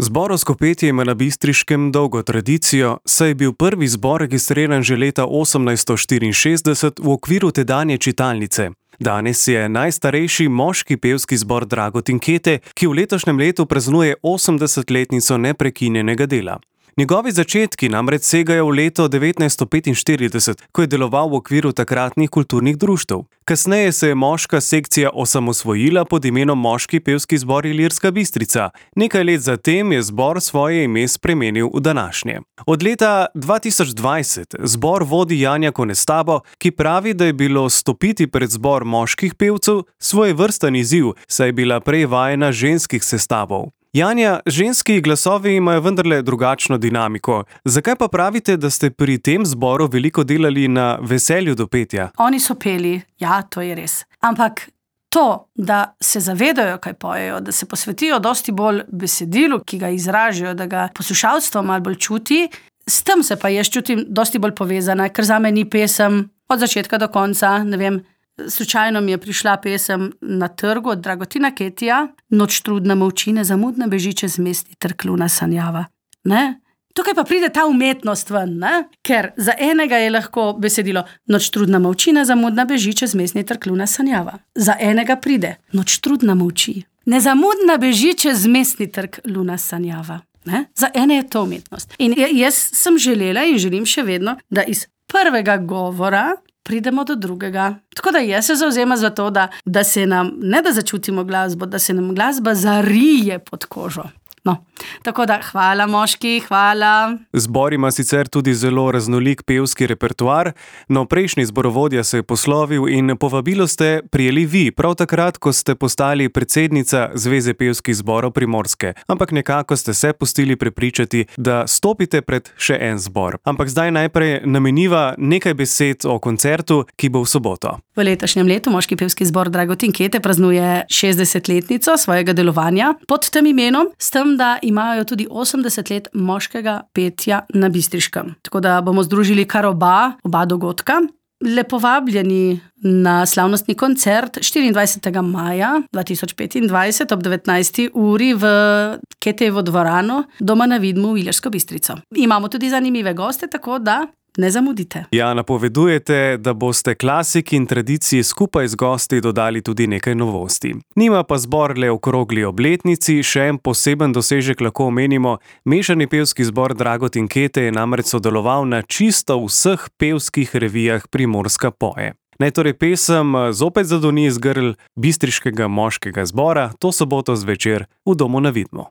Zborovsko petje ima na Bistriškem dolgo tradicijo, saj je bil prvi zbor registriran že leta 1864 v okviru tedanje čitalnice. Danes je najstarejši moški pevski zbor Dragotin Kete, ki v letošnjem letu praznuje 80-letnico neprekinjenega dela. Njegovi začetki namreč segajo v leto 1945, ko je deloval v okviru takratnih kulturnih društev. Kasneje se je moška sekcija osamosvojila pod imenom Moški pevski zbor Ilirska Bistrica. Nekaj let zatem je zbor svoje ime spremenil v današnje. Od leta 2020 zbor vodi Janja Konestabo, ki pravi, da je bilo stopiti pred zbor moških pevcev svojevrsten izziv, saj je bila prej vajena ženskih sestavov. Janja, ženski glasovi imajo vendarle drugačno dinamiko. Zakaj pa pravite, da ste pri tem zboru veliko delali na veselju do petja? Oni so peli, ja, to je res. Ampak to, da se zavedajo, kaj pojejo, da se posvetijo dosti bolj besedilu, ki ga izražajo, da ga poslušalstvo malo bolj čuti, s tem se pa jaz čutim dosti bolj povezana, ker zame ni pesem od začetka do konca, ne vem. Slučajno mi je prišla pesem Na trgu od Dragotina Ketija, Noč trudna molči, nezamudno beži čez mestni trg luna sanjava. Ne? Tukaj pa pride ta umetnost ven, ne? Ker za enega je lahko besedilo Noč trudna molči, nezamudno beži čez mestni trg luna sanjava. Za enega pride Noč trudna molči, nezamudno beži čez mestni trg luna sanjava. Ne? Za ene je to umetnost. In jaz sem želela in želim še vedno, da iz prvega govora pridemo do drugega. Tako da jaz se zavzemam za to, da se nam, ne da začutimo glasbo, da se nam glasba zarije pod kožo. No, tako da hvala moški, hvala. Zbor ima sicer tudi zelo raznolik pevski repertoar, no prejšnji zborovodja se je poslovil in povabilo ste prijeli vi, prav takrat, ko ste postali predsednica Zveze pevskih zborov Primorske. Ampak nekako ste se pustili prepričati, da stopite pred še en zbor. Ampak zdaj najprej nameniva nekaj besed o koncertu, ki bo v soboto. V letošnjem letu Moški pevski zbor Dragotin Kete praznuje 60-letnico svojega delovanja pod tem imenom, s tem, da imajo tudi 80 let moškega petja na Bistriškem. Tako da bomo združili kar oba dogodka. Lepo vabljeni na slavnostni koncert 24. maja 2025 ob 19. uri v Ketejevo dvorano Doma na Vidmu v Ilirsko Bistrico. Imamo tudi zanimive goste, tako da ne zamudite. Ja, napovedujete, da boste klasiki in tradiciji skupaj z gosti dodali tudi nekaj novosti. Nima pa zbor le okrogli obletnici, še en poseben dosežek lahko omenimo. Mešani pevski zbor Dragotin Kete je namreč sodeloval na čisto vseh pevskih revijah Primorska poje. Naj torej pesem zopet zadoni iz grl bistriškega moškega zbora to soboto zvečer v Domu na Vidmu.